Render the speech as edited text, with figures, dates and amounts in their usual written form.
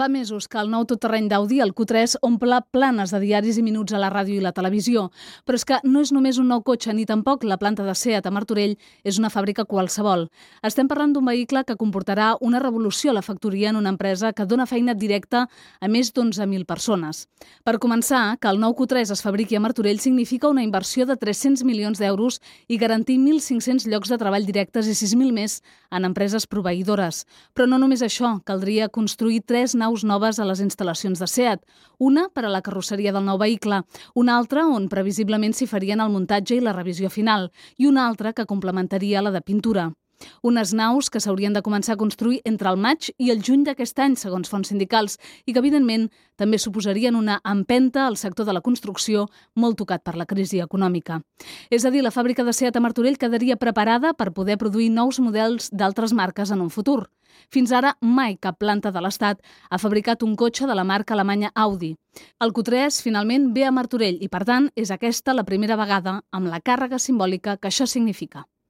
Fa mesos que el nou totterreny d'Audi, el Q3, omple planes de diaris i minuts a la ràdio i la televisió. Però és que no és només un nou cotxe ni tampoc la planta de SEAT a Martorell és una fàbrica qualsevol. Estem parlant d'un vehicle que comportarà una revolució a la factoria en una empresa que dona feina directa a més d'11.000 persones. Per començar, que el nou Q3 es fabriqui a Martorell significa una inversió de 300 milions d'euros i garantir 1.500 llocs de treball directes i 6.000 més en empreses proveïdores. Però no només això, caldria construir 3 naus noves a les instal·lacions de SEAT, una per a la carrosseria del nou vehicle, una altra on previsiblement s'hi farien el muntatge i la revisió final, i una altra que complementaria la de pintura. Unes naus que s'haurien de començar a construir entre el maig i el juny d'aquest any, segons fonts sindicals, i que, evidentment, també suposarien una empenta al sector de la construcció molt tocat per la crisi econòmica. És a dir, la fàbrica de SEAT a Martorell quedaria preparada per poder produir nous models d'altres marques en un futur. Fins ara, mai cap planta de l'Estat ha fabricat un cotxe de la marca alemanya Audi. El Q3 finalment ve a Martorell i, per tant, és aquesta la primera vegada amb la càrrega simbòlica que això significa.